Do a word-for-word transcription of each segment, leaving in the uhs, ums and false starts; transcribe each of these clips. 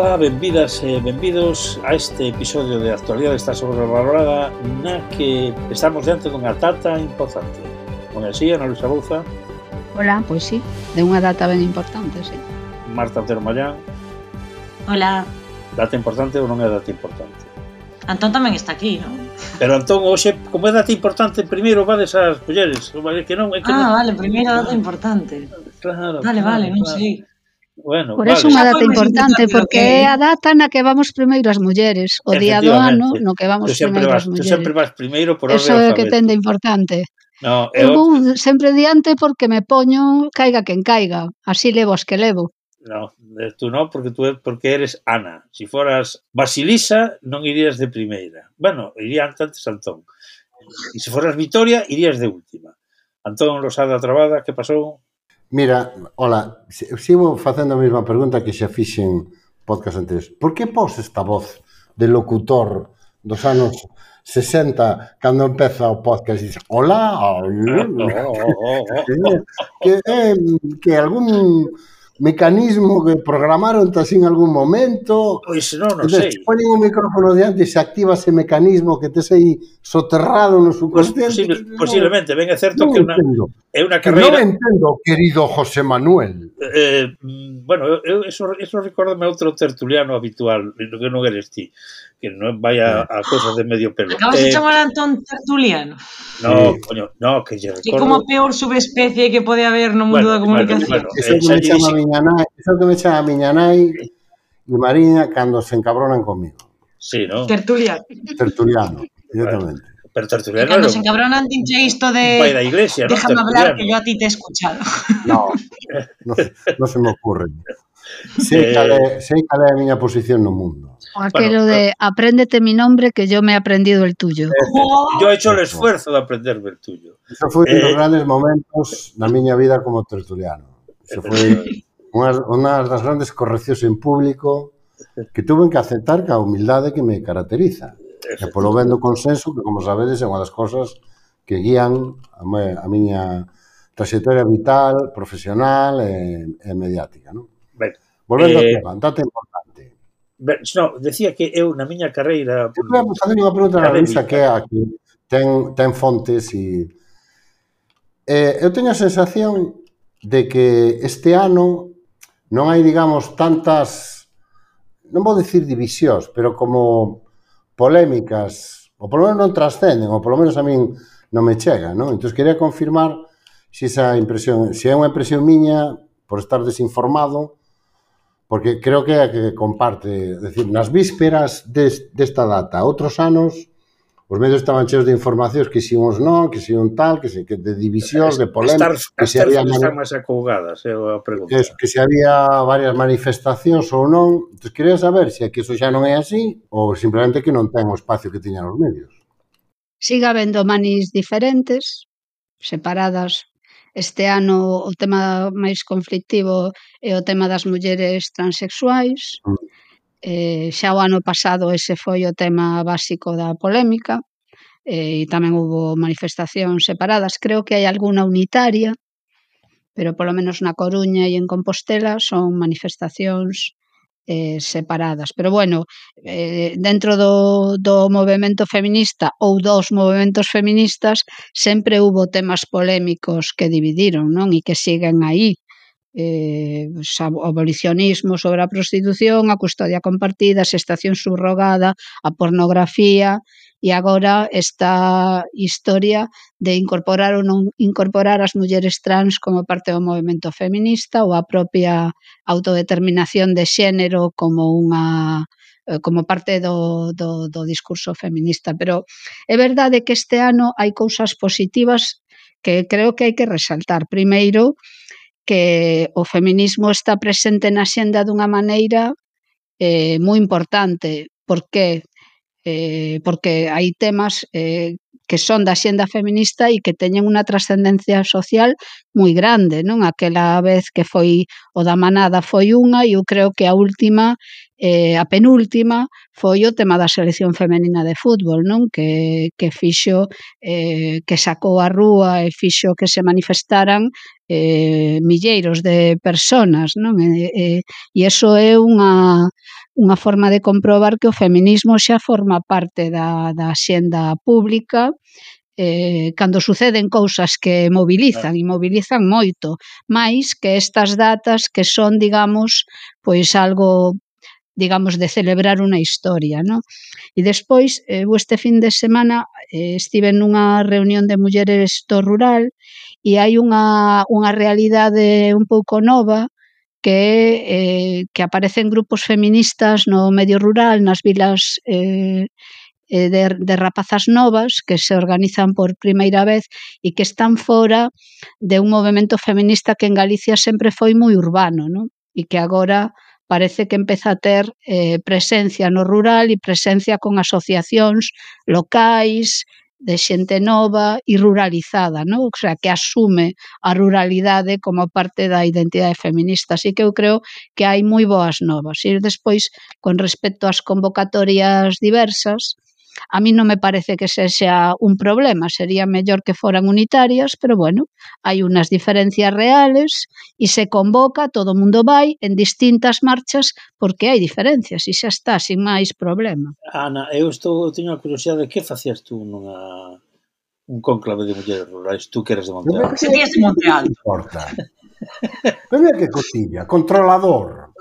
Ola, benvidas e benvidos a este episodio de Actualidade está sobrevalorada na que estamos diante dunha data importante. Non é así, Ana Luisa Bouza? Ola, pois sí, de unha data ben importante, sí. Marta Otero Mallán? Ola. Data importante ou non é data importante? Antón tamén está aquí, non? Pero Antón, hoxe, como é data importante, primeiro vades ás mulleres, que non, é que Ah, non... vale, primeiro data importante. Claro, Vale, claro, vale, non claro. sei. Bueno, Por vale. eso unha Xa data foi máis importante, importante do porque que é a data na que vamos primeiro as mulleres, o día do ano no que vamos Tú sempre primeiro vas, as tú sempre mulleres. vas primeiro por orde Eso é o que ten de alfabético. importante. No, Eu eu, vou sempre diante porque me poño caiga quen caiga, así levo as que levo. no, tú non, porque tú porque eres Ana. Si foras Basilisa, non irías de primeira. Bueno, iría antes Antón. E se foras Vitoria, irías de última. Antón Rosada Trabada, que pasou? Mira, hola, sigo facendo a mesma pregunta que xa fixen podcast anteriores. Por que pos esta voz de locutor dos anos sesenta cando empeza o podcast e dices, hola, que é que algún mecanismo que programaron así en algún momento. Pois non, non Entonces, sei. se ponen un micrófono diante e se activa ese mecanismo que tes aí soterrado no subconsciente. Posible, posiblemente, ben é certo non que una, entendo. é unha Que non carreira... entendo, querido José Manuel. Eh, bueno, eu, eso, eso recórdame outro tertuliano habitual, que non eres ti, que non vai a, a cosas de medio pelo. Acabas eh, de chamar a Antón tertuliano. No, Sí. coño, no, que lle Que recordo... como a peor subespecie que pode haber no mundo Bueno, da comunicación. bueno, bueno. Eso Eh, que xa me lle chama dixe- a miña nai, eso que me chama a miña nai e Mariña cando se encabronan comigo. Sí, non? Tertuliano. Tertuliano, directamente. Pero E tertuliano cando era se un, encabronan dinche isto un pai de da iglesia, non? déjame hablar Tertuliano. que yo a ti te he escuchado. No, no, no se me ocurre. Sei Eh, cal é, sei cal é a miña posición no mundo. O aquelo Bueno, de apréndete mi nombre que yo me he aprendido el tuyo. yo he hecho el Eso. esfuerzo de aprenderme el tuyo. Eso foi un dos Eh, grandes momentos na miña vida como tertuliano. Eso foi unha, unha das grandes correccións en público que tuve que aceptar ca humildade que me caracteriza. E polo ben do consenso, que como sabedes é unha das cosas que guían a, me, a miña trayectoria vital, profesional e, e mediática. Non? Ben, Volvendo eh, ao tema, data importante. ben, no, decía que eu na miña carreira... Eu queria fazer unha pregunta na académica, Luisa que é a que ten, ten fontes e... Eh, eu teño a sensación de que este ano non hai, digamos, tantas, non vou dicir divisións, pero como polémicas, ou polo menos non trascenden, ou polo menos a min non me chega, non? Entón, quería confirmar se esa impresión, se é unha impresión miña por estar desinformado, porque creo que é a que comparte, é dicir, nas vísperas des, desta data, outros anos, os medios estaban cheos de informacións que si uns non, que si un tal, que si que de divisións, de polémicas, que as se había terfas mani- están máis acougadas, é a pregunta. que, que se había varias manifestacións ou non. Entón, quería saber se é que iso xa non é así ou simplemente que non ten o espacio que tiñan os medios. Siga habendo manis diferentes, separadas. Este ano o tema máis conflictivo é o tema das mulleres transexuais. Mm. Eh, xa o ano pasado ese foi o tema básico da polémica, eh, e tamén houbo manifestacións separadas. Creo que hai algunha unitaria, pero polo menos na Coruña e en Compostela son manifestacións eh, separadas. Pero bueno, eh, dentro do, do movemento feminista ou dos movementos feministas sempre hubo temas polémicos que dividiron, non? E que siguen aí. Eh, o abolicionismo sobre a prostitución, a custodia compartida, a xestación subrogada, a pornografía e agora esta historia de incorporar ou non incorporar as mulleres trans como parte do movemento feminista ou a propia autodeterminación de xénero como unha como parte do, do, do discurso feminista. Pero é verdade que este ano hai cousas positivas que creo que hai que resaltar. Primeiro, que o feminismo está presente na xenda dunha maneira eh, moi importante. Por que? Eh, porque hai temas eh, que son da xenda feminista e que teñen unha trascendencia social moi grande, non? Aquela vez que foi o da manada foi unha e eu creo que a última, eh, a penúltima, foi o tema da selección femenina de fútbol, non? Que, que fixo, eh, que sacou a rúa e fixo que se manifestaran eh, milleiros de personas, non? E, e, e iso é unha unha forma de comprobar que o feminismo xa forma parte da, da xenda pública eh, cando suceden cousas que mobilizan, e mobilizan moito, máis que estas datas que son, digamos, pois algo, digamos, de celebrar unha historia, non? E despois, eh, este fin de semana eh, estive nunha reunión de mulleres do rural e hai unha, unha realidade un pouco nova que eh, que aparecen grupos feministas no medio rural, nas vilas eh, de, de rapazas novas que se organizan por primeira vez e que están fora de un movemento feminista que en Galicia sempre foi moi urbano, non? E que agora parece que empeza a ter eh, presencia no rural e presencia con asociacións locais, de xente nova e ruralizada, non? O sea, que asume a ruralidade como parte da identidade feminista. Así que eu creo que hai moi boas novas. E despois, con respecto ás convocatorias diversas, a mí non me parece que sexa un problema, sería mellor que foran unitarias, pero bueno, hai unas diferencias reales e se convoca, todo o mundo vai en distintas marchas porque hai diferencias e xa está, sin máis problema. Ana, eu estou, eu teño a curiosidade de que facías tú nunha un cónclave de mulleres rurais, tú que eres de Monte Alto. Se tías de Monte Alto. Importa. Pero que cotilla, controlador.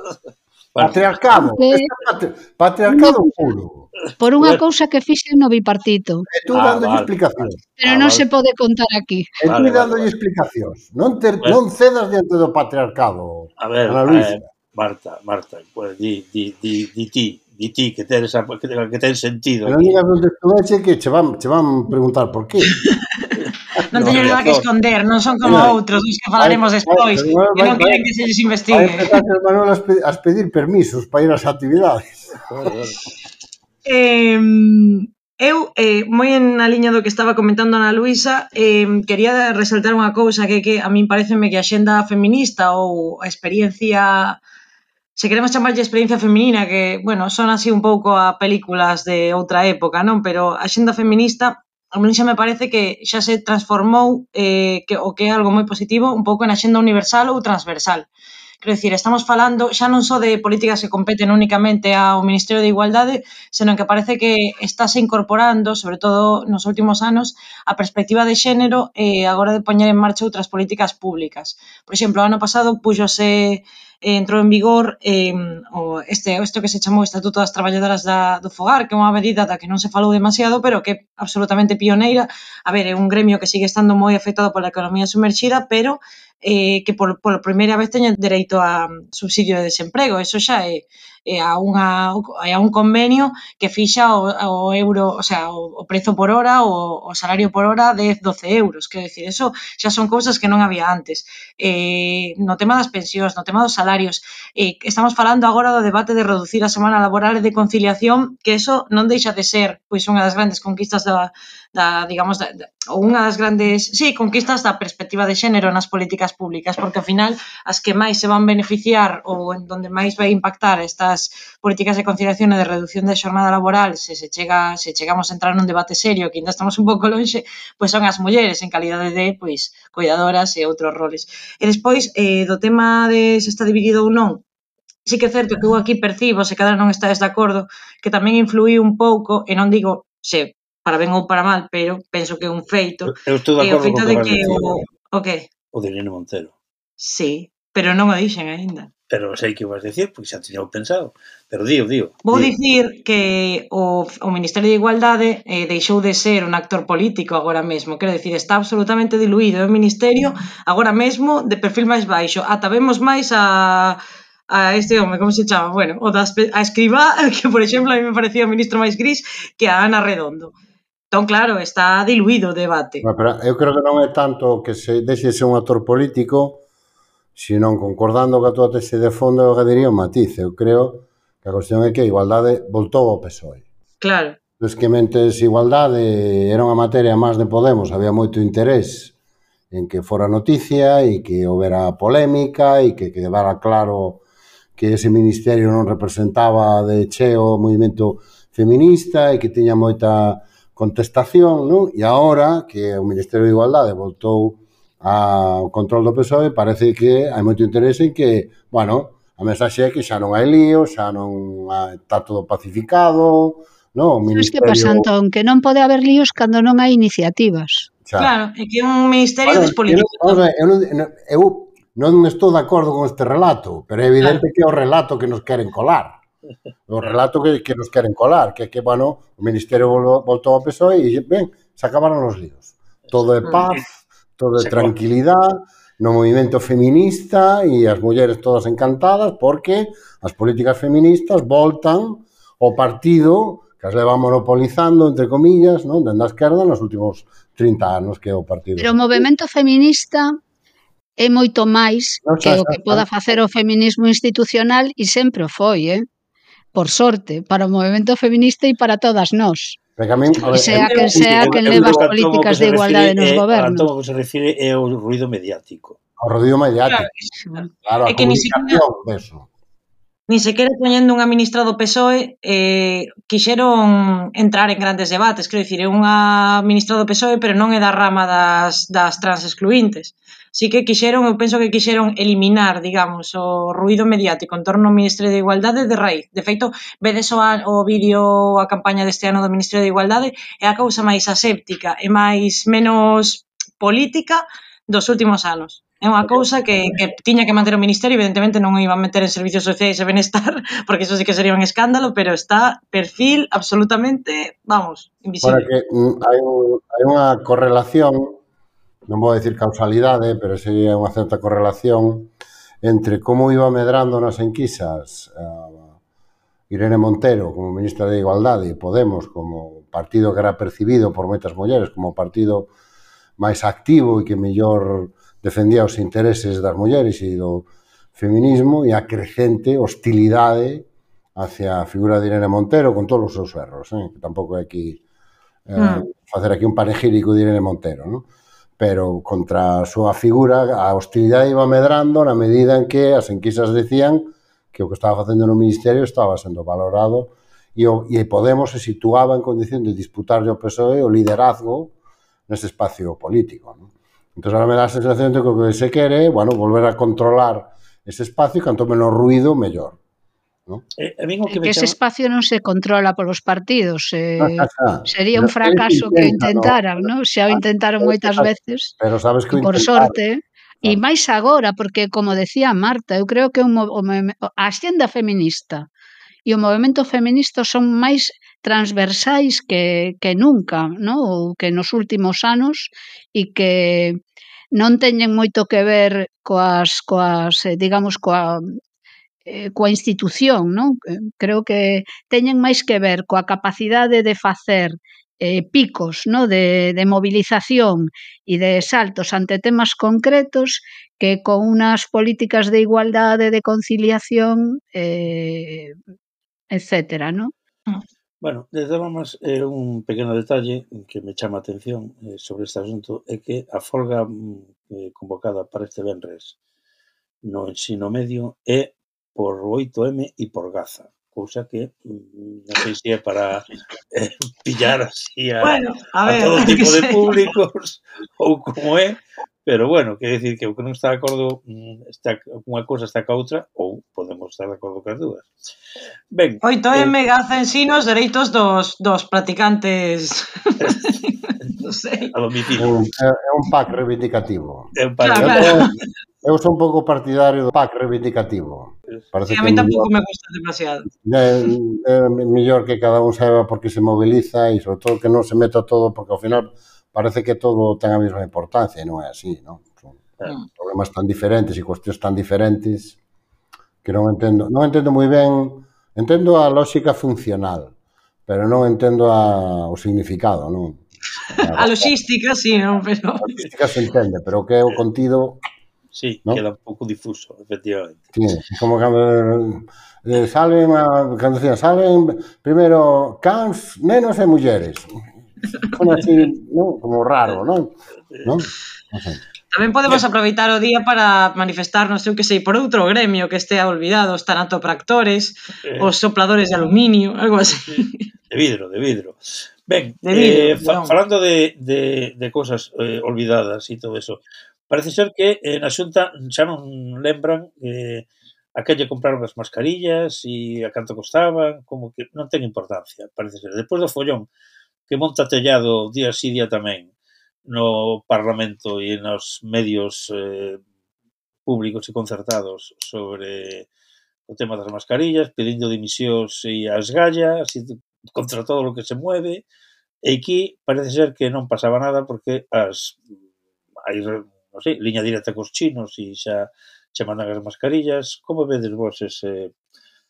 Patriarcado, Porque... patri patriarcado no, puro. Por unha cousa que fixen no bipartito. E tú ah, dándolle vale, explicacións. Pero ah, non vale. Se pode contar aquí. E tú vale, dándolle vale, explicacións. Non, ter, bueno. non cedas diante do patriarcado. A ver, Ana Luisa. Eh, Marta, Marta, pues, di, di, di, di ti, di ti, que ten, esa, que, que ten sentido. Pero non digas onde estuveche que che van, che van preguntar por qué. Non teño nada que esconder, non son como Mira, outros dos que falaremos despois, que non queren que se lles investigue. Vai empezar a Manuel a pedir permisos para ir ás actividades. eh, eu, eh, moi en a liña do que estaba comentando Ana Luisa, eh, quería resaltar unha cousa que, que a min pareceme que a xenda feminista ou a experiencia, se queremos chamarlle experiencia feminina, que, bueno, son así un pouco a películas de outra época, non? Pero a xenda feminista a mí xa me parece que xa se transformou eh, que, o que é algo moi positivo un pouco na xenda universal ou transversal. Quero dicir, estamos falando xa non só de políticas que competen únicamente ao Ministerio de Igualdade, senón que parece que estáse incorporando, sobre todo nos últimos anos, a perspectiva de xénero e eh, agora de poñer en marcha outras políticas públicas. Por exemplo, o ano pasado púxose entrou en vigor eh, o este isto que se chamou Estatuto das Traballadoras da, do Fogar, que é unha medida da que non se falou demasiado, pero que é absolutamente pioneira. A ver, é un gremio que sigue estando moi afectado pola economía sumerxida, pero eh, que por, por primeira vez teñen dereito a subsidio de desemprego. Eso xa é, é, a, unha, é a un convenio que fixa o, o euro, o sea, o, o prezo por hora, o, o salario por hora dez, doce euros. Quero dicir, eso xa son cousas que non había antes. Eh, no tema das pensións, no tema dos salarios, eh, estamos falando agora do debate de reducir a semana laboral e de conciliación, que eso non deixa de ser pois unha das grandes conquistas da, da digamos, da, da, ou unha das grandes, sí, conquistas da perspectiva de xénero nas políticas públicas, porque ao final as que máis se van beneficiar ou en donde máis vai impactar estas políticas de conciliación e de reducción de xornada laboral, se se chega, se chegamos a entrar nun debate serio, que ainda estamos un pouco lonxe, pois son as mulleres en calidade de, pois, cuidadoras e outros roles. E despois, eh, do tema de se está dividido ou non, sí que é certo que eu aquí percibo, se cada non estades de acordo, que tamén influí un pouco, e non digo se para ben ou para mal, pero penso que é un feito. Eu estou de acordo con que, que o, o que? O de Irene Montero. Sí, pero non o dixen aínda. Pero sei que vas decir, porque xa teño pensado. Pero dío, dío. Vou dicir que o, o Ministerio de Igualdade eh, deixou de ser un actor político agora mesmo. Quero dicir, está absolutamente diluído. É un ministerio agora mesmo de perfil máis baixo. Ata vemos máis a... a este home, como se chama? Bueno, o da a Escribá, que, por exemplo, a mí me parecía o ministro máis gris que a Ana Redondo. Entón, claro, está diluído o debate. Bueno, pero eu creo que non é tanto que se deixe ser un actor político, senón concordando que a túa tese de fondo, eu diría un matiz. Eu creo que a cuestión é que a igualdade voltou ao P S O E. Claro. Pues que mentes igualdade era unha materia máis de Podemos, había moito interés en que fora noticia e que houbera polémica e que quedara claro que ese ministerio non representaba de cheo o movimento feminista e que tiña moita contestación, non? E agora que o Ministerio de Igualdade voltou ao control do P S O E, parece que hai moito interés en que, bueno, A mensaxe é que xa non hai lío, xa non hai, está todo pacificado, non? O Sabes que pasa, Ministerio... Antón? Que non pode haber líos cando non hai iniciativas. Xa. Claro, é que é un ministerio Bueno, eu, despolítico. vamos a ver, eu, non, eu non estou de acordo con este relato, pero é evidente claro. que é o relato que nos queren colar. O relato que, que nos queren colar, que é que, bueno, o Ministerio voltou ao P S O E e, ben, se acabaron os líos. Todo é paz, todo é tranquilidade, no movimento feminista e as mulleres todas encantadas porque as políticas feministas voltan ao partido que as leva monopolizando, entre comillas, non, dende a esquerda nos últimos trinta anos, que é o partido. Pero o movimento feminista é moito máis no, que xa, o que xa, poda facer o feminismo institucional e sempre o foi, eh? Por sorte, para o movimento feminista e para todas nós. Min, ver, sea quen sea quen leva as políticas de igualdade nos gobernos. Antón, o que se refire é o ruido mediático. O ruido mediático. Claro, claro a é que comunicación deso. Ni sequera poñendo un administrado P S O E eh, quixeron entrar en grandes debates, quero dicir, é un administrado P S O E, pero non é da rama das, das trans excluintes. Sí que quixeron, eu penso que quixeron eliminar, digamos, o ruido mediático en torno ao Ministerio de Igualdade de raíz. De feito, vedes o, o vídeo, a campaña deste ano do Ministerio de Igualdade, é a cousa máis aséptica e máis menos política dos últimos anos. É unha cousa que, que tiña que manter o Ministerio, evidentemente non iba a meter en servicios sociais e benestar, porque iso sí que sería un escándalo, pero está perfil absolutamente, vamos, invisible. Para que hai, un, hai unha correlación, non vou decir causalidade, pero sería unha certa correlación entre como iba medrando nas enquisas uh, Irene Montero como ministra de Igualdade e Podemos como partido que era percibido por moitas mulleres como partido máis activo e que mellor defendía os intereses das mulleres e do feminismo e a crecente hostilidade hacia a figura de Irene Montero con todos os seus erros, eh? Que tampouco é aquí eh, mm. facer aquí un panegírico de Irene Montero, ¿no? Pero contra a súa figura a hostilidade iba medrando na medida en que as enquisas decían que o que estaba facendo no Ministerio estaba sendo valorado e, o, e Podemos se situaba en condición de disputarlle ao P S O E o liderazgo nese espacio político, ¿no? Entón, ahora me dá a sensación de que o que se quere, bueno, volver a controlar ese espacio e canto menos ruido, mellor. ¿No? Eh, a min o que, que ese chama... espacio non se controla polos partidos. Eh, no, xa, xa. Sería un fracaso que intentaran, ¿no? Xa o intentaron moitas veces. Pero sabes que por sorte. E claro. máis agora, porque, como decía Marta, eu creo que un, o, a axenda feminista e o movimento feminista son máis transversais que, que nunca, ¿no? Ou que nos últimos anos e que non teñen moito que ver coas, coas digamos, coa, eh, coa institución, ¿no? Creo que teñen máis que ver coa capacidade de facer eh, picos, ¿no? de, de movilización e de saltos ante temas concretos que con unas políticas de igualdade, de conciliación, eh, etcétera, ¿no? Bueno, de todas formas, eh, un pequeno detalle que me chama a atención eh, sobre este asunto é que a folga eh, convocada para este venres no ensino medio é por oito eme e por Gaza, cousa que non sei se é para eh, pillar así a, bueno, a, ver, a todo tipo de sei. públicos ou como é, pero bueno, quer decir que o que non está de acordo está, unha cousa está ca outra ou podemos estar de acordo cas dúas. Ben, oito eme eh, Gaza en sí nos dereitos dos, dos practicantes non sei. A domicilio. É, é un pack reivindicativo. É un pack claro, claro. Eu sou un pouco partidario do pack reivindicativo. Parece sí, a mí tampouco me gusta demasiado. É, é mellor que cada un saiba por que se moviliza e sobre todo que non se meta todo porque ao final parece que todo ten a mesma importancia e non é así, non? Son mm. problemas tan diferentes e cuestións tan diferentes que non entendo, non entendo moi ben, entendo a lógica funcional, pero non entendo a, o significado, non? A, a logística, sí, non, pero... A logística se entende, pero o que é o contido... Sí, ¿no? Queda un pouco difuso, efectivamente. Sí, como cando eh, salen, a, cando decían, salen primeiro cans, nenos e mulleres. Como así, ¿no? Como raro, ¿no? ¿No? No sé. Tamén podemos aproveitar o día para manifestarnos, eu que sei, por outro gremio que estea olvidado, os tanatopractores, eh, os sopladores de aluminio, algo así. De vidro, de vidro. Ben, de vidro, eh, fa, falando de, de, de cosas eh, olvidadas e todo eso, parece ser que eh, na Xunta xa non lembran eh, a que lle compraron as mascarillas e a canto costaban, como que non ten importancia, parece ser. Despois do follón que monta Tellado día sí día tamén no Parlamento e nos medios eh, públicos e concertados sobre o tema das mascarillas, pedindo dimisións e a esgalla, así, contra todo o que se mueve, e aquí parece ser que non pasaba nada porque as hai, non sei, liña directa cos chinos e xa che mandan as mascarillas. Como vedes vos ese,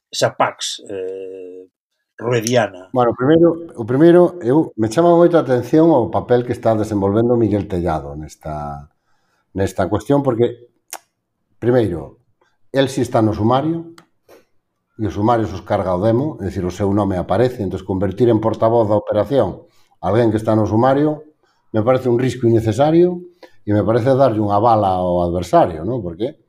esa Pax eh, ruediana? Bueno, o primeiro, o primeiro, eu me chama moito a atención o papel que está desenvolvendo Miguel Tellado nesta, nesta cuestión, porque, primeiro, el si está no sumario, e o sumario os carga o demo, é dicir, o seu nome aparece, entón convertir en portavoz da operación alguén que está no sumario me parece un risco innecesario e me parece darlle unha bala ao adversario, non? Porque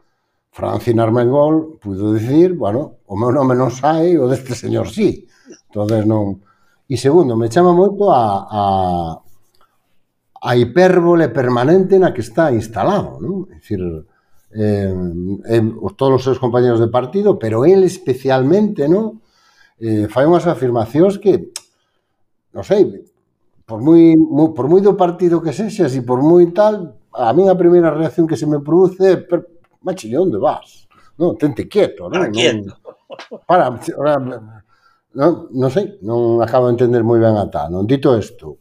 Francina Armengol puido dicir, bueno, o meu nome non sai, o deste señor sí. Entonces non... E segundo, me chama moito a, a, a hipérbole permanente na que está instalado, non? É dicir, eh, eh, todos os seus compañeros de partido, pero ele especialmente, non? Eh, fai unhas afirmacións que, non sei, por moi, moi, por moi do partido que sexas e por moi tal, a minha primeira reacción que se me produce é machille, onde vas? Non, tente quieto, non? Para quieto. Para, non, non sei, non acabo de entender moi ben a tal, non? Dito isto,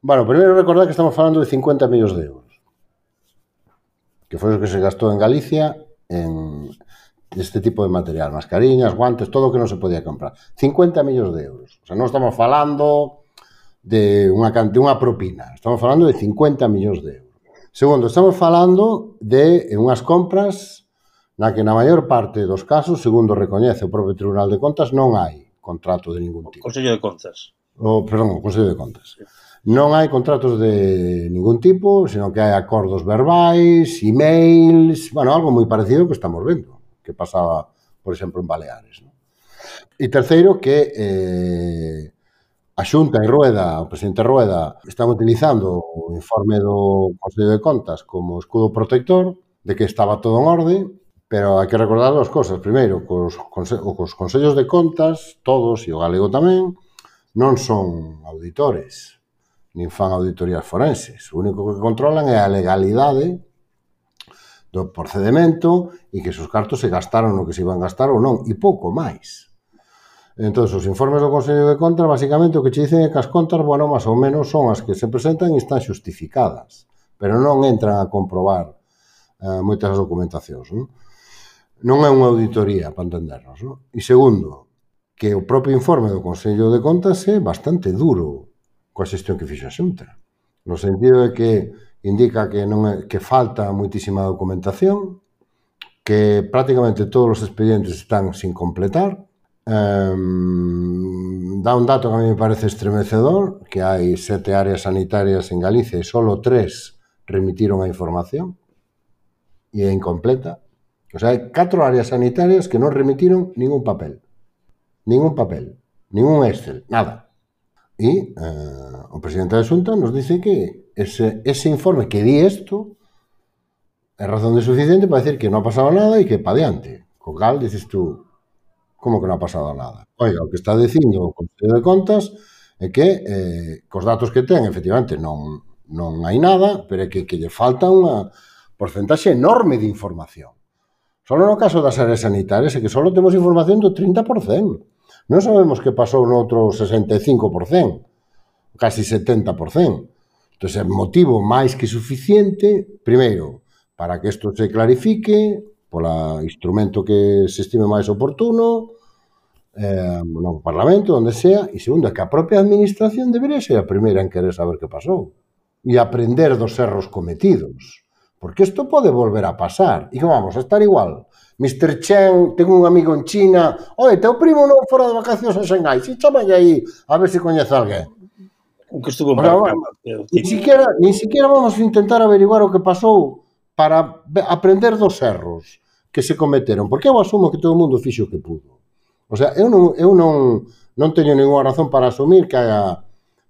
bueno, primeiro recordar que estamos falando de cincuenta millóns de euros, que foi o que se gastou en Galicia en este tipo de material, mascarillas, guantes, todo o que non se podía comprar. cincuenta millóns de euros. O sea, non estamos falando de unha, de unha propina, estamos falando de cincuenta millóns de euros. Segundo, estamos falando de unhas compras na que na maior parte dos casos, segundo recoñece o propio Tribunal de Contas, non hai contrato de ningún tipo. Consello de Contas. O, perdón, o Consello de Contas. Non hai contratos de ningún tipo, sino que hai acordos verbais, emails, bueno, algo moi parecido que estamos vendo, que pasaba, por exemplo, en Baleares, ¿no? E terceiro, que eh, a Xunta en Rueda, o presidente Rueda, están utilizando o informe do Consello de Contas como escudo protector, de que estaba todo en orde, pero hai que recordar as cousas. Primeiro, cos, cos Consellos de Contas, todos, e o galego tamén, non son auditores, nin fan auditorías forenses. O único que controlan é a legalidade do procedimento e que os cartos se gastaron no que se iban gastar ou non, e pouco máis. Entón, os informes do Consello de Contas, basicamente, o que che dicen é que as contas, bueno, máis ou menos, son as que se presentan e están xustificadas, pero non entran a comprobar eh, moitas documentacións, non? Non é unha auditoría, para entendernos, non? E segundo, que o propio informe do Consello de Contas é bastante duro coa xestión que fixo a Xunta, no sentido de que indica que non é, que falta moitísima documentación, que prácticamente todos os expedientes están sin completar. Um, dá un dato que a mí me parece estremecedor, que hai sete áreas sanitarias en Galicia e solo tres remitiron a información e é incompleta. O sea, hai catro áreas sanitarias que non remitiron ningún papel, ningún papel, ningún Excel, nada. E uh, o presidente da Xunta nos dice que ese, ese informe que di isto é razón de suficiente para decir que non ha pasado nada e que pa diante. Co cal, dices tú, como que non ha pasado nada? Oiga, o que está dicindo o Consello de Contas é que eh, cos datos que ten, efectivamente, non, non hai nada, pero é que, que lle falta unha porcentaxe enorme de información. Só no caso das áreas sanitarias é que só temos información do trinta por cento. Non sabemos que pasou no outro sesenta e cinco por cento, casi setenta por cento. Entón, é motivo máis que suficiente, primeiro, para que isto se clarifique, polo instrumento que se estime máis oportuno, eh, no Parlamento, onde sea, e segundo, que a propia administración debería ser a primeira en querer saber que pasou e aprender dos erros cometidos, porque isto pode volver a pasar e que vamos a estar igual. mister Chen, tengo un amigo en China, oi, teu primo non fora de vacacións a Xangai, si chamalle aí a ver se coñece alguén. O que estuvo O sea, marcado. Ni siquiera, ni siquiera vamos a intentar averiguar o que pasou para aprender dos erros que se cometeron, porque eu asumo que todo o mundo fixo o que pudo. O sea, eu non, eu non, non teño ninguna razón para asumir que haya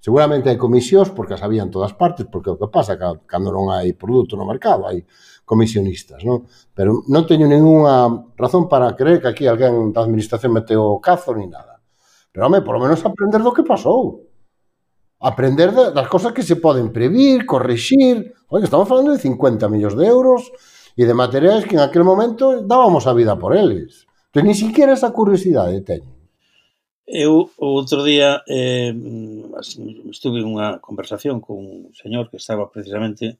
Seguramente hai comisións, porque as había en todas partes, porque o que pasa cando non hai produto no mercado, hai comisionistas, non? Pero non teño ninguna razón para creer que aquí alguén da administración meteu o cazo ni nada. Pero, home, por lo menos aprender do que pasou. Aprender das cosas que se poden previr, corrixir. Oye, estamos falando de cincuenta millóns de euros e de materiais que en aquel momento dábamos a vida por eles. Entón, ni siquiera esa curiosidade teño. Eu, o outro día, eh, estuve en unha conversación con un señor que estaba precisamente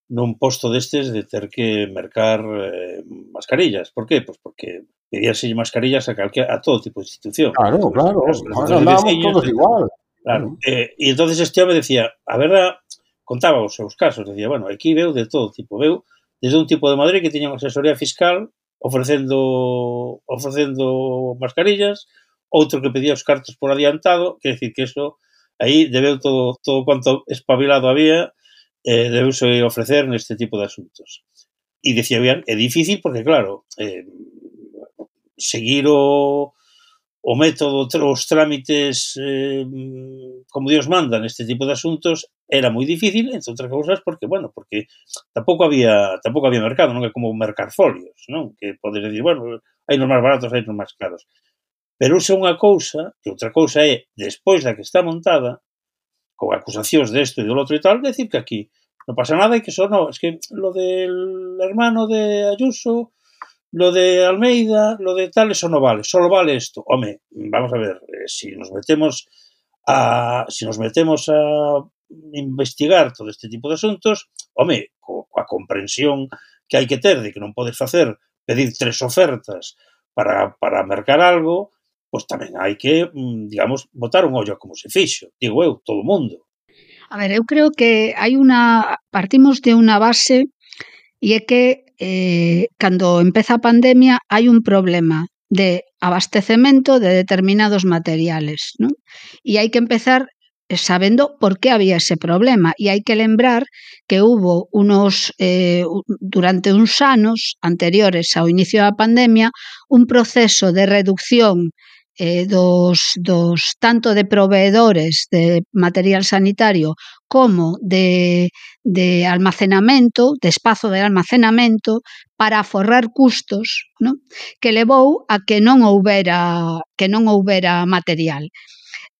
nun posto destes de ter que mercar eh, mascarillas. Por qué? Pois porque pedíase mascarillas a, calque, a todo tipo de institución. Claro, claro, nos andábamos todos igual. Claro, eh, e entonces este home decía, a verdad, contaba os seus casos, decía, bueno, aquí veu de todo tipo, veu desde un tipo de Madrid que tiña unha asesoría fiscal ofrecendo ofrecendo mascarillas, outro que pedía os cartos por adiantado, quer decir que eso, aí debeu todo, todo cuanto espabilado había, eh, debeuse ofrecer neste tipo de asuntos. E decía, bien, é difícil porque, claro, eh, seguir o, o método, os trámites eh, como Dios manda neste tipo de asuntos era moi difícil, entre outras cousas, porque, bueno, porque tampouco había tampouco había mercado, non é como mercar folios, non? Que podes decir, bueno, hai nos máis baratos, hai nos máis caros. Pero usa unha cousa, e outra cousa é, despois da que está montada, con acusacións desto e do outro e tal, decir que aquí non pasa nada e que só no, es que lo del hermano de Ayuso, lo de Almeida, lo de tal, eso no vale, solo vale esto. Home, vamos a ver, eh, si nos metemos a si nos metemos a investigar todo este tipo de asuntos, home, co, coa comprensión que hai que ter de que non podes facer, pedir tres ofertas para, para mercar algo, pois tamén hai que, digamos, botar un ollo como se fixo, digo eu, todo o mundo. A ver, eu creo que hai unha, partimos de unha base e é que eh, cando empeza a pandemia hai un problema de abastecemento de determinados materiales, ¿no? E hai que empezar sabendo por qué había ese problema e hai que lembrar que hubo unos eh, durante uns anos anteriores ao inicio da pandemia un proceso de reducción eh, dos, dos tanto de proveedores de material sanitario como de, de almacenamento, de espazo de almacenamento para aforrar custos, ¿no? Que levou a que non houbera que non houbera material.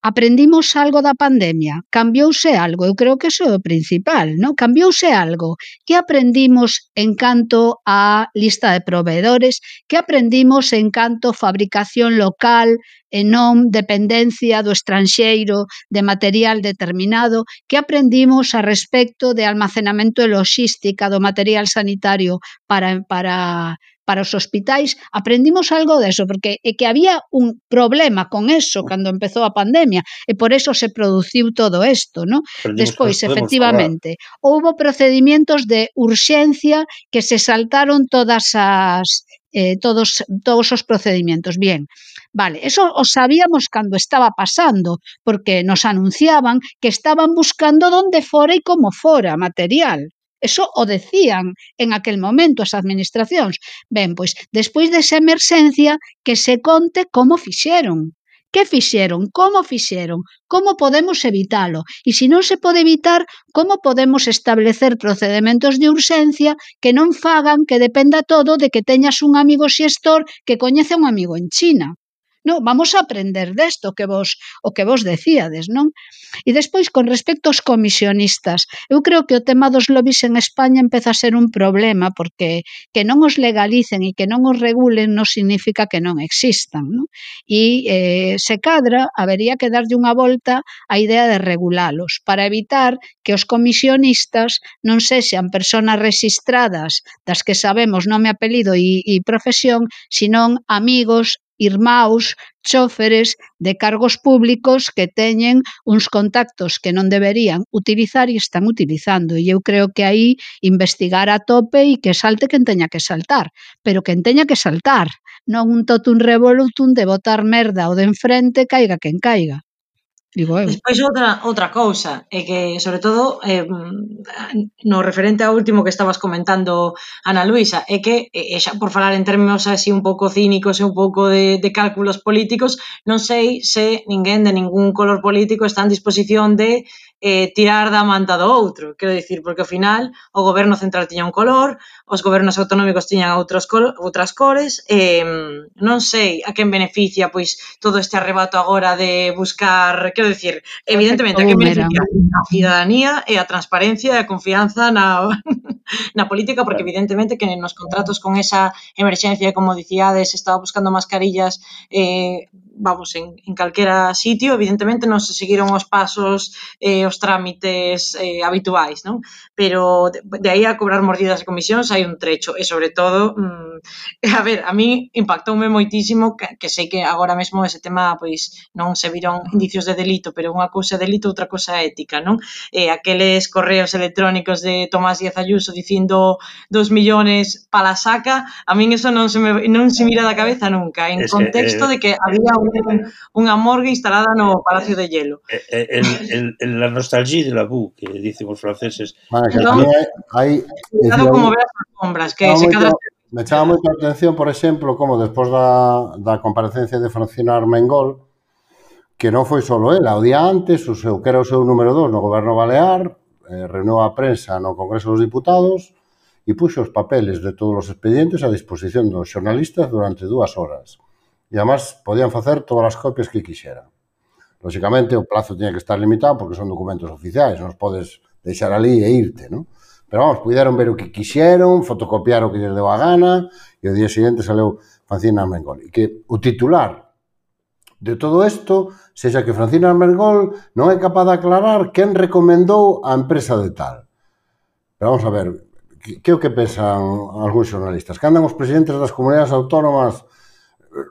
Aprendimos algo da pandemia? Cambiouse algo? Eu creo que iso é o principal, non? Cambiouse algo? Que aprendimos en canto a lista de proveedores? Que aprendimos en canto a fabricación local e non dependencia do estranxeiro de material determinado? Que aprendimos a respecto de almacenamento e logística do material sanitario para, para para os hospitais? Aprendimos algo deso, porque é que había un problema con eso cando empezou a pandemia e por eso se produciu todo isto, ¿no? Despois, efectivamente, houbo procedimientos de urxencia que se saltaron todas as eh, todos, todos os procedimientos. Bien, vale, eso o sabíamos cando estaba pasando, porque nos anunciaban que estaban buscando donde fora e como fora material. Eso o decían en aquel momento as administracións. Ben, pois, despois desa emerxencia, que se conte como fixeron. Que fixeron? Como fixeron? Como podemos evitalo? E se non se pode evitar, como podemos establecer procedementos de urxencia que non fagan que dependa todo de que teñas un amigo xestor que coñece un amigo en China? Non, vamos a aprender desto que vos, o que vos decíades, non? E despois, con respecto aos comisionistas, eu creo que o tema dos lobbies en España empeza a ser un problema, porque que non os legalicen e que non os regulen non significa que non existan, non? E eh, se cadra, habería que darlle unha volta á idea de regulalos, para evitar que os comisionistas non sexan persoas registradas das que sabemos nome, apelido e, e profesión, senón amigos, irmáus, chóferes de cargos públicos que teñen uns contactos que non deberían utilizar e están utilizando. E eu creo que aí investigar a tope e que salte quen teña que saltar, pero quen teña que saltar, non un totum revolutum de botar merda ao de enfrente, caiga quen caiga. digo eu. Despois outra outra cousa é que, sobre todo, eh, no referente ao último que estabas comentando, Ana Luisa, é que, e xa por falar en términos así un pouco cínicos e un pouco de, de cálculos políticos, non sei se ninguén de ningún color político está en disposición de eh, tirar da manta do outro. Quero dicir, porque ao final o goberno central tiña un color, os gobernos autonómicos tiñan outros col outras cores, e eh, non sei a quen beneficia pois todo este arrebato agora de buscar, quero dicir, evidentemente a quen beneficia a cidadanía e a transparencia e a confianza na, na política, porque evidentemente que nos contratos con esa emerxencia, como dicíades, estaba buscando mascarillas, eh, vamos, en, en calquera sitio, evidentemente non se seguiron os pasos e eh, os trámites eh, habituais, non? Pero de, de aí a cobrar mordidas e comisións hai un trecho, e sobre todo, mmm, a ver, a mí impactoume moitísimo, que, que sei que agora mesmo ese tema, pois, non se viron indicios de delito, pero unha cousa é delito, outra cousa é ética, non? Eh, aqueles correos electrónicos de Tomás Díaz Ayuso dicindo dos millones pa la saca, a min eso non se me, non se mira da cabeza nunca, en contexto de que había un, unha morgue instalada no Palacio de Hielo. El, el, el, la nostalgia de la boue, que dicen os franceses. Bueno, que no, hai, cuidado como veas as sombras, que se moito, cadra... Me chama moita atención, por exemplo, como despois da, da comparecencia de Francina Armengol, que non foi só ela, o día antes, o seu, que era o seu número dos no goberno balear, eh, reunou a prensa no Congreso dos Diputados e puxo os papeles de todos os expedientes a disposición dos xornalistas durante dúas horas. E, además, podían facer todas as copias que quixeran. Lóxicamente, o plazo tiña que estar limitado porque son documentos oficiais, non os podes deixar ali e irte, non? Pero, vamos, puderon ver o que quixeron, fotocopiar o que lles deu a gana, e o día seguinte saleu Francina Armengol. E que o titular de todo isto sexa que Francina Armengol non é capaz de aclarar quen recomendou a empresa de tal. Pero vamos a ver, que, que é o que pensan algúns xornalistas? Que andan os presidentes das comunidades autónomas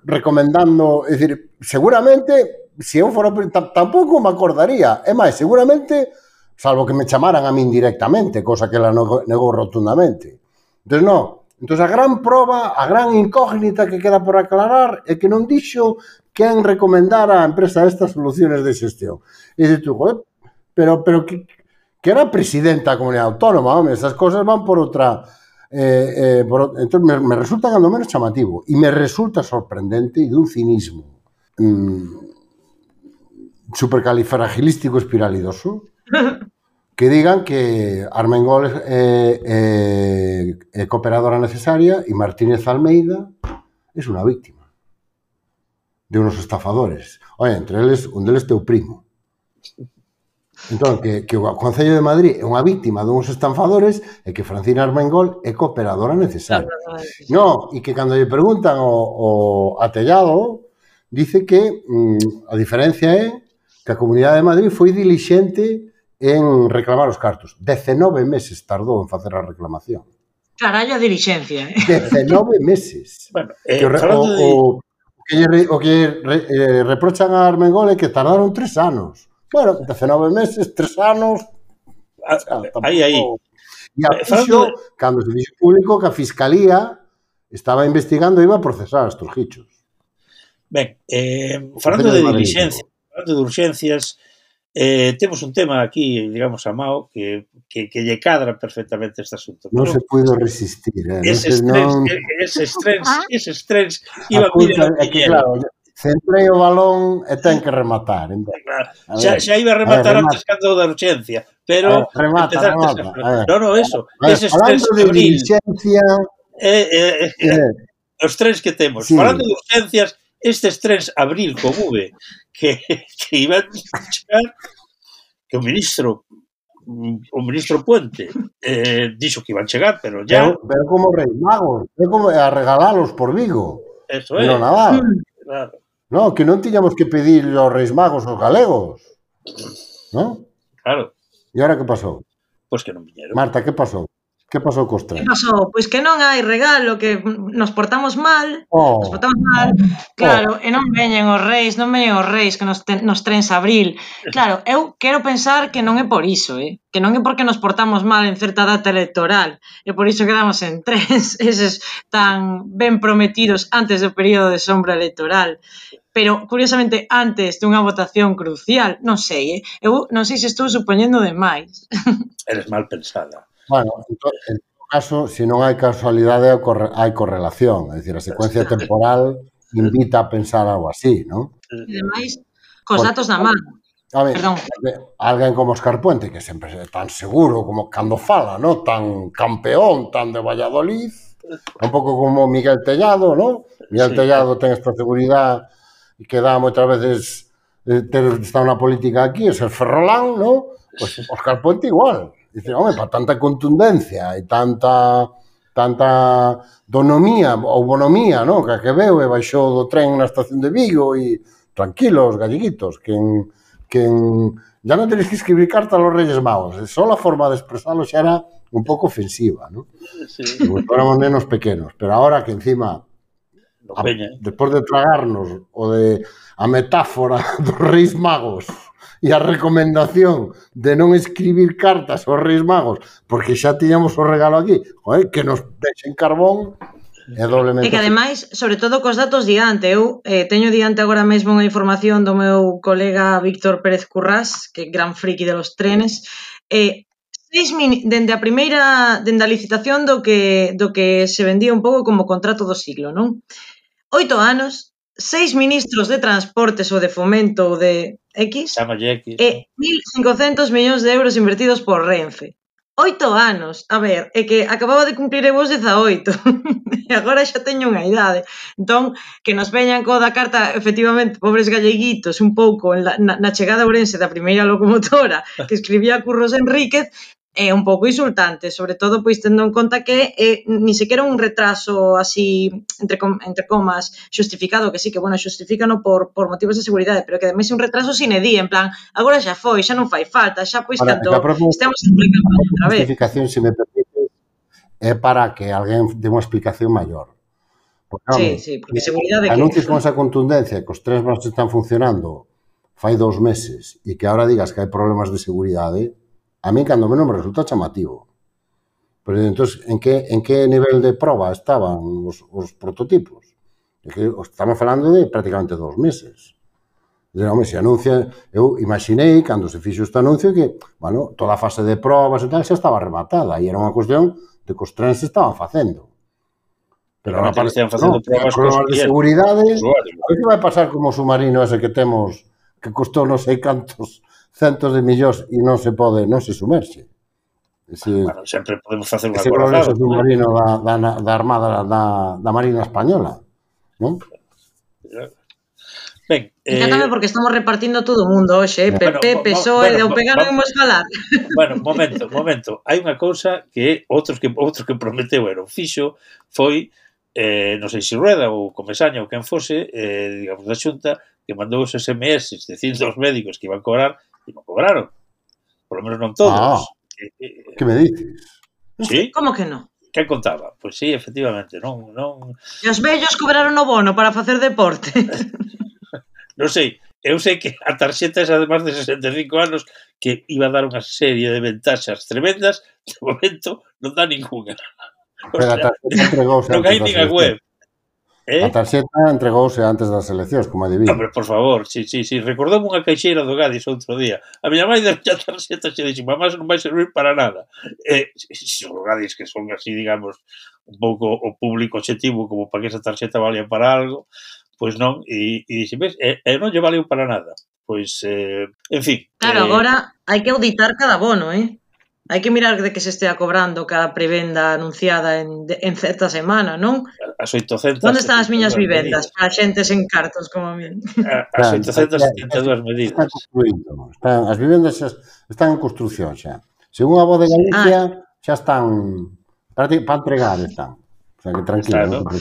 recomendando, é dicir, seguramente, se eu fora, tampouco me acordaría, é máis, seguramente, salvo que me chamaran a min directamente, cosa que ela negou rotundamente. Entón, non. Entón, a gran proba, a gran incógnita que queda por aclarar é que non dixo quen recomendara a empresa estas soluciones de xestión. E dices tú, joder, pero, pero que, que era presidenta da comunidade autónoma, home, esas cosas van por outra... Eh, eh, por, entón, me, me resulta cando menos chamativo e me resulta sorprendente e dun cinismo mm, supercalifragilístico espiralidoso que digan que Armengol é, é, é cooperadora necesaria e Martínez Almeida é unha víctima de unos estafadores. Oye, entre eles, un deles teu primo. Entón, que, que o Concello de Madrid é unha víctima de uns estafadores e que Francina Armengol é cooperadora necesaria. No, e que cando lle preguntan o, o Atellado, dice que mm, a diferencia é que a Comunidade de Madrid foi dilixente en reclamar os cartos. dezenove meses tardou en facer a reclamación. Carallo a dilixencia. Eh? dezenove meses. Bueno, eh, que o, o, de... o, que lle, o que re, eh, reprochan a Armengol é que tardaron tres anos. Bueno, dezenove meses, tres anos... Ah, aí, aí. E a fixo, de... cando se dixo público que a Fiscalía estaba investigando e iba a procesar estos gichos. Ben, eh, falando de diligencia, falando de urxencias, eh, temos un tema aquí, digamos, a Mao, que, que, que lle cadra perfectamente este asunto. Non se puido resistir, eh? Eses no trens, non... eses trens, eses trens iban a é que, claro, centrei o balón e ten que rematar. Entón. Claro. Xa, xa iba a rematar a ver, antes cando da urxencia, pero... A ver, remata, remata. A no, no, eso. A ver, eses falando de diligencia... Eh, eh, eh, eh, os trens que temos. Sí. Falando de urxencias, estes trens abril con V que, que iban a chegar, que o ministro o ministro Puente eh, dixo que iban a chegar, pero ya... Pero, pero como Reis Magos, é como a regalalos por Vigo. Eso é. No Nadal. Claro. No, que non tiñamos que pedir aos Reis Magos aos galegos. ¿No? Claro. E agora que pasou? Pois pues que non viñeron. Marta, que pasou? Que pasou cos trens? Que pasou? Pois que non hai regalo, que nos portamos mal, oh. nos portamos mal, claro, oh. e non veñen os reis, non veñen os reis que nos, ten, nos trens abril. Claro, eu quero pensar que non é por iso, eh? Que non é porque nos portamos mal en certa data electoral, e por iso quedamos en trens, eses tan ben prometidos antes do período de sombra electoral. pero curiosamente antes dunha votación crucial, non sei, eh? eu non sei se estou supoñendo demais. Eres mal pensada. Bueno, en todo caso, se non hai casualidade, hai correlación, é dicir, a secuencia temporal invita a pensar algo así, non? E demais, cos datos na man. A ver, alguén como Óscar Puente, que sempre é tan seguro como cando fala, ¿no? Tan campeón, tan de Valladolid, un pouco como Miguel Tellado, ¿no? Miguel sí. Tellado ten esta seguridade que dá moitas veces eh, ter estado na política aquí, é ser ferrolán, ¿no? Pois pues Óscar Puente igual. Dice, home, para tanta contundencia e tanta tanta donomía ou bonomía, ¿no? Que a que veu e baixou do tren na estación de Vigo e tranquilos, galleguitos, que en que en, ya non tenéis que escribir carta a los Reyes Magos, só a forma de expresarlo xa era un pouco ofensiva, ¿no? Sí. Éramos nenos pequenos, pero ahora que encima, a, despois de tragarnos o de a metáfora dos Reis Magos e a recomendación de non escribir cartas aos Reis Magos porque xa tiñamos o regalo aquí, joder, que nos deixen carbón. É doblemente... E que ademais, sobre todo cos datos diante, eu eh, teño diante agora mesmo unha información do meu colega Víctor Pérez Currás, que é gran friki de los trenes, eh, seis min... dende a primeira, dende a licitación do que, do que se vendía un pouco como contrato do siglo, non? Oito anos, seis ministros de transportes ou de fomento ou de X, X. e mil cincocentos millóns de euros invertidos por Renfe. Oito anos, a ver, é que acababa de cumplir eu os dezaoito e agora xa teño unha idade, entón que nos veñan co da carta, efectivamente, pobres galleguitos, un pouco na, na chegada a Ourense da primeira locomotora que escribía Curros Enríquez, é un pouco insultante, sobre todo pois tendo en conta que é ni sequera un retraso así, entre, com, entre comas, xustificado, que sí, que bueno, xustifícano por, por motivos de seguridade, pero que ademais é un retraso sine die, en plan, agora xa foi, xa non fai falta, xa pois Ahora, tanto estamos explicando outra vez. A justificación, se me permite, é para que alguén dé unha explicación maior. Porque, sí, home, sí, porque seguridade que... Anuncios con esa contundencia que os trens máis están funcionando fai dous meses e que ahora digas que hai problemas de seguridade, a mí, cando menos, me resulta chamativo. Pero, entón, en que, en que nivel de proba estaban os, os prototipos? É que estamos falando de prácticamente dos meses. Dizer, home, se anuncia... Eu imaginei, cando se fixo este anuncio, que, bueno, toda a fase de probas e tal xa estaba rematada e era unha cuestión de que os trens se estaban facendo. Pero ahora parece que facendo no, probas problemas de seguridade. A ver que vai pasar como o submarino ese que temos, que costou non sei cantos centos de millóns e non se pode, non se sumerxe. Ese, bueno, sempre podemos facer unha ese progreso submarino da, da, da Armada da, da Marina Española, non? Ben, eh... Encántame porque estamos repartindo todo o mundo hoxe, eh? P P, P S O E, de o pegar non imos falar. Bueno, momento, momento. Hai unha cousa que outros que outros que prometeu era o fixo foi, eh, non sei se Rueda ou Comesaña ou quen fose, eh, digamos, da Xunta, que mandou os S M S dicindo aos médicos que iban a cobrar e non cobraron. Por lo menos non todos. Ah, eh, que me dices? Sí? Como que non? Que contaba? Pois sí, efectivamente, non... non... E os vellos cobraron o bono para facer deporte. Non sei, eu sei que a tarxeta esa de máis de sesenta e cinco anos que iba a dar unha serie de ventaxas tremendas, de momento non dá ninguna. O sea, a tarxeta entregouse non hai nin a web. Eh? A tarxeta entregouse antes das eleccións, como adivino. Hombre, por favor, sí, sí, sí. Recordoume unha caixeira do Gadis outro día. A miña mãe deu a tarxeta e dixo, mamá, non vai servir para nada. Eh, son Gadis que son así, digamos, un pouco o público objetivo, como para que esa tarxeta valía para algo, pois non, e, e dixe, ves, e, e non lle valeu para nada. Pois, eh, en fin. Claro, eh, agora hai que auditar cada bono, eh? Hai que mirar de que se estea cobrando cada prevenda anunciada en, en certa semana, non? As oitocentas... Onde están as miñas vivendas? Para xentes en cartos como a mí. As oitocentas setenta e dúas medidas. Están construindo. Están, as vivendas están en construcción xa. Según a voz de Galicia, ah. xa están... Para, para entregar están. O sea, que tranquilo. Claro. No?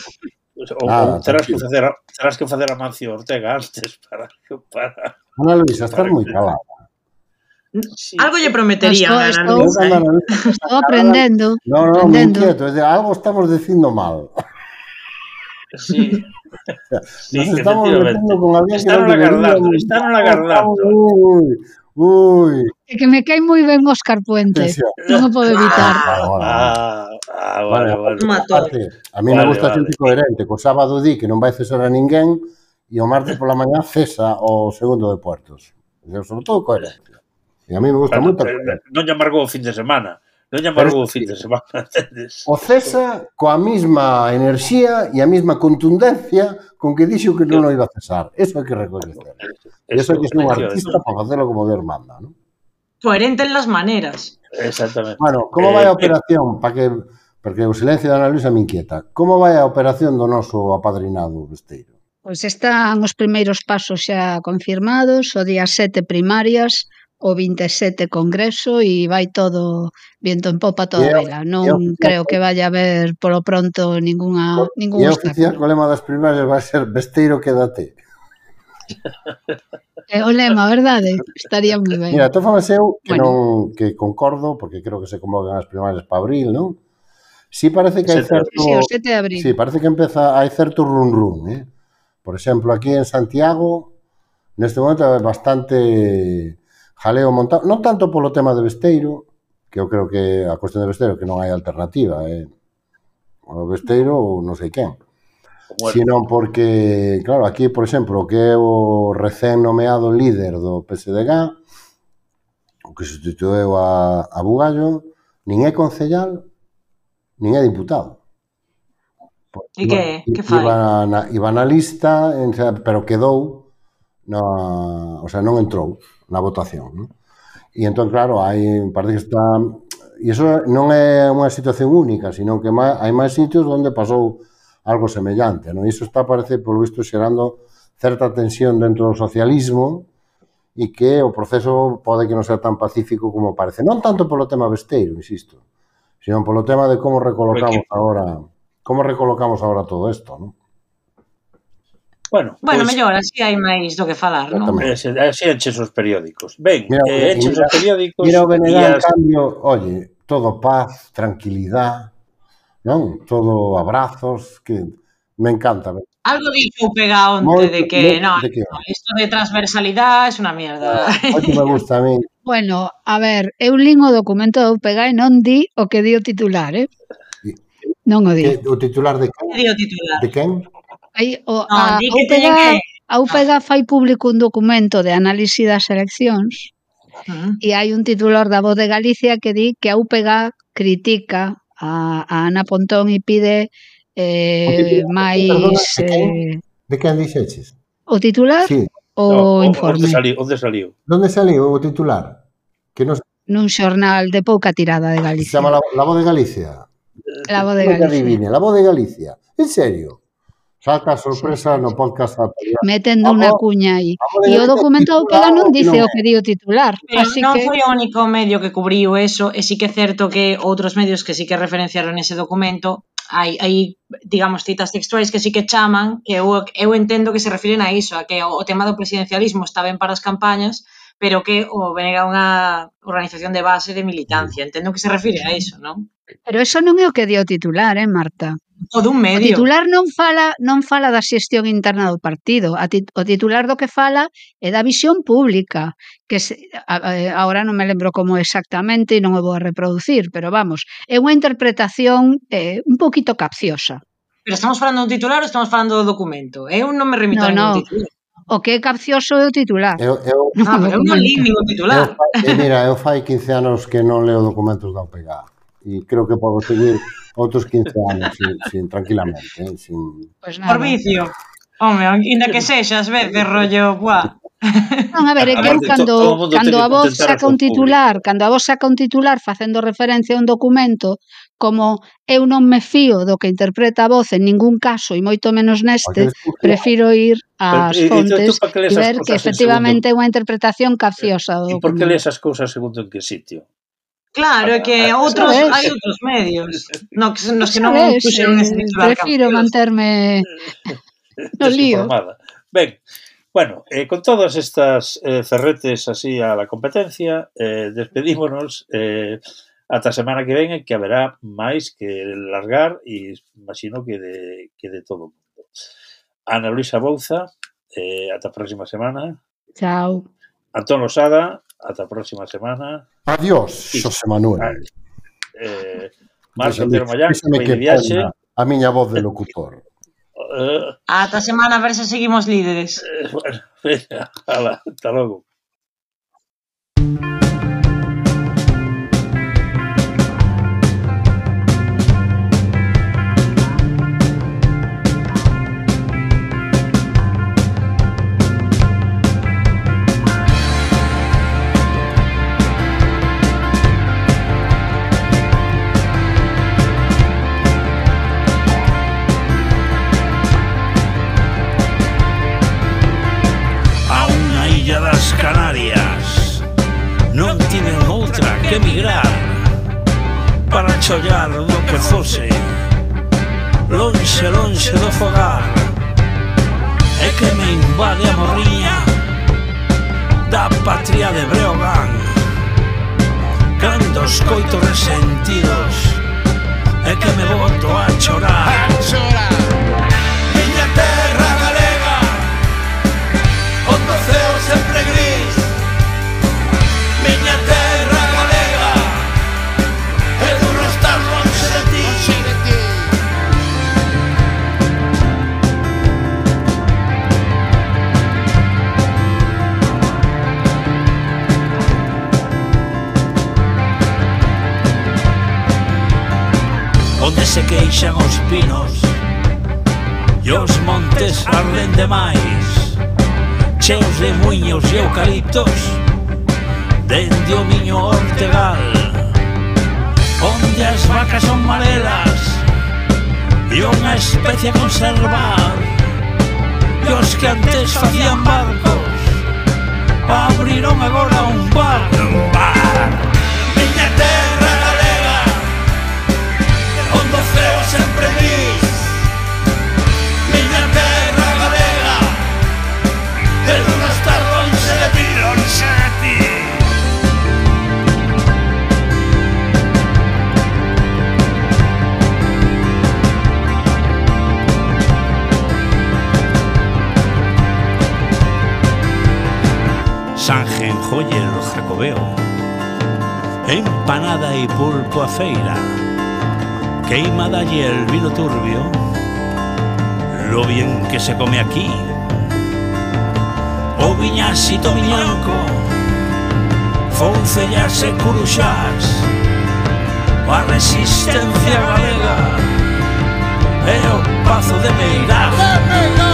O, Nada, o terás, que facer a, terás que facer a Mancio Ortega antes para... para... Ana Luisa, estás moi calada. Sí. Algo lle prometería estou, estou, eh? estou aprendendo. No, no, me inquieto, de algo estamos dicindo mal. Sí. Sí, nos estamos metiendo con alguén que non agardando, están agardando. Uy, uy. É que me cae moi ben Óscar Puente. Non o podo evitar. Ah, ah, vale, vale. A mí me gusta xente coherente, co sábado di que non vai cesar a ninguén e o martes pola mañá cesa o segundo de Puertos. Sobre todo coherencia. E a mí me gusta Bueno, moito. non lle amargou o fin de semana. Non lle amargou o fin de semana, entendes? O cesa coa mesma enerxía e a mesma contundencia con que dixo que non o iba a cesar. Eso hai que recoñecer. E eso hai que ser un artista para facelo como Dios manda, non? Coherente en las maneras. Exactamente. Bueno, como vai a operación? Para que, porque o silencio de Ana Luisa me inquieta. Como vai a operación do noso apadrinado Besteiro? Pois están os primeiros pasos xa confirmados, o día sete primarias, o vinte e sete congreso e vai todo viento en popa toda a vela. Non creo que vaya a haber polo pronto ninguna ningún E a oficial co lema das primarias vai ser Besteiro quédate. É o lema, verdade? Estaría moi ben. Mira, tô falando eu que bueno. non que concordo, porque creo que se convocan as primarias para abril, non? Si parece que hai certo... Sí, o sete de abril. Sí, parece que empeza, hai certo run run, eh? Por exemplo, aquí en Santiago, neste momento é bastante jaleo montado, non tanto polo tema de Besteiro, que eu creo que a cuestión de Besteiro que non hai alternativa, eh? O Besteiro ou non sei quen. Bueno. Sino porque, claro, aquí, por exemplo, que é o recén nomeado líder do P S D G, o que sustituiu a, a Bugallo, nin é concellal, nin é diputado. E que, que fai? Iba na, iba na lista, pero quedou, na, o sea, non entrou na votación, non? E entón, claro, hai, parece que está... E iso non é unha situación única, sino que hai máis sitios onde pasou algo semellante, non? Iso está, parece, polo visto, xerando certa tensión dentro do socialismo e que o proceso pode que non sea tan pacífico como parece. Non tanto polo tema Besteiro, insisto, sino polo tema de como recolocamos agora como recolocamos agora todo isto, non? Bueno, bueno, pues, mellor, así hai máis do que falar, non? Así enches os periódicos. Ben, mira, eh, enches mira, os periódicos... Mira o Benegán, as... cambio, oye, todo paz, tranquilidade, non? Todo abrazos, que me encanta. Algo dixo o Pega onte de que, no, de que... no, isto de transversalidade é unha mierda. Oye, me gusta a mí. Bueno, a ver, eu lín o documento do U P G e non di o que di o titular, eh? Non o di. Que, o titular de quen? Di o titular. De quen? Aí, o, no, a, a, U P G, que... a U P G fai público un documento de análise das eleccións uh-huh. e hai un titular da Voz de Galicia que di que a U P G critica a, a Ana Pontón e pide eh, máis... De quen, eh, de quen dixeches? O titular? Sí. O no, informe? Onde saliu? Onde saliu? Onde saliu o titular? Que nos... Nun xornal de pouca tirada de Galicia. Se chama La, la Voz de Galicia? La Voz de Galicia. Adivine, La Voz de Galicia. En serio? Salta a sorpresa sí, no podcast. Metendo unha cuña aí. E o documento do P G non dice o que di o titular. Pero así non que... foi o único medio que cubriu eso, e sí que é certo que outros medios que sí que referenciaron ese documento, hai, hai digamos, citas textuais que sí que chaman, que eu, eu entendo que se refiren a iso, a que o, o tema do presidencialismo está ben para as campañas, pero que o venga unha organización de base de militancia. Entendo que se refire a iso, non? Pero eso non é o que di o titular, eh, Marta? O dun medio. O titular non fala non fala da xestión interna do partido. A tit, o titular do que fala é da visión pública, que se, a, a, agora non me lembro como exactamente e non o vou a reproducir, pero vamos, é unha interpretación eh, un poquito capciosa. Pero estamos falando do titular ou estamos falando do documento? Eu non me remito no, a ningún no. titular. O que é capcioso é o titular. Eu, eu, ah, pero eu non li ningún titular. Eu, eh, mira, eu fai quince anos que non leo documentos da U P G e creo que podo seguir outros quince anos sin, sin tranquilamente, eh, sin... Pues nada. Por vicio. Home, ainda que sexas, ves, de rollo, buah. Non, a ver, é que eu cando, cando a voz saca un titular, cando a voz saca un titular facendo referencia a un documento, como eu non me fío do que interpreta a voz en ningún caso, e moito menos neste, prefiro ir ás fontes e ver que efectivamente é unha interpretación capciosa do documento. E por que lees as cousas segundo en que sitio? Claro, é que outros hai outros medios no, nos que non puxeron ese titular. Prefiro manterme no lío. Ben, bueno, eh, con todas estas eh, ferretes así a la competencia, eh, despedímonos eh, ata a semana que ven, que haberá máis que largar e imagino que de, que de todo o mundo. Ana Luisa Bouza, eh, ata a próxima semana. Chao. Antón Losada, ata a próxima semana. Adiós, sí. Xosé Manuel. Eh, Marco Otero Mallán, vai de viaxe. A miña voz de locutor. Uh, Ata a semana a ver se seguimos líderes. eh, bueno, venga, hala, hasta logo. Canarias non tiven outra que emigrar para chollar do que fose lonxe, lonxe do fogar, e que me invade a morriña da patria de Breogán cando os coitos resentidos e que me boto a chorar, a chorar. Miña terra galega onde o ceo sempre gris, miña terra galega é duro estar lonxe de ti. Onde se queixan os pinos e os montes arden demais, cheos de muiños e eucaliptos dende o miño Ortegal, onde as vacas son marelas e unha especie a conservar, e os que antes facían barcos abriron agora un bar, un bar. Miña terra galega onde o ceo sempre gris, miña terra galega é duro estar lonxe de ti, lonxe de ti. Sanjenjoyer Jacobeo, empanada e pulpo a feira, queimada y el vino turbio, lo bien que se come aquí. O viñasito miñanco, foncellas e curuxás, a resistencia galega e o pazo de Meirás.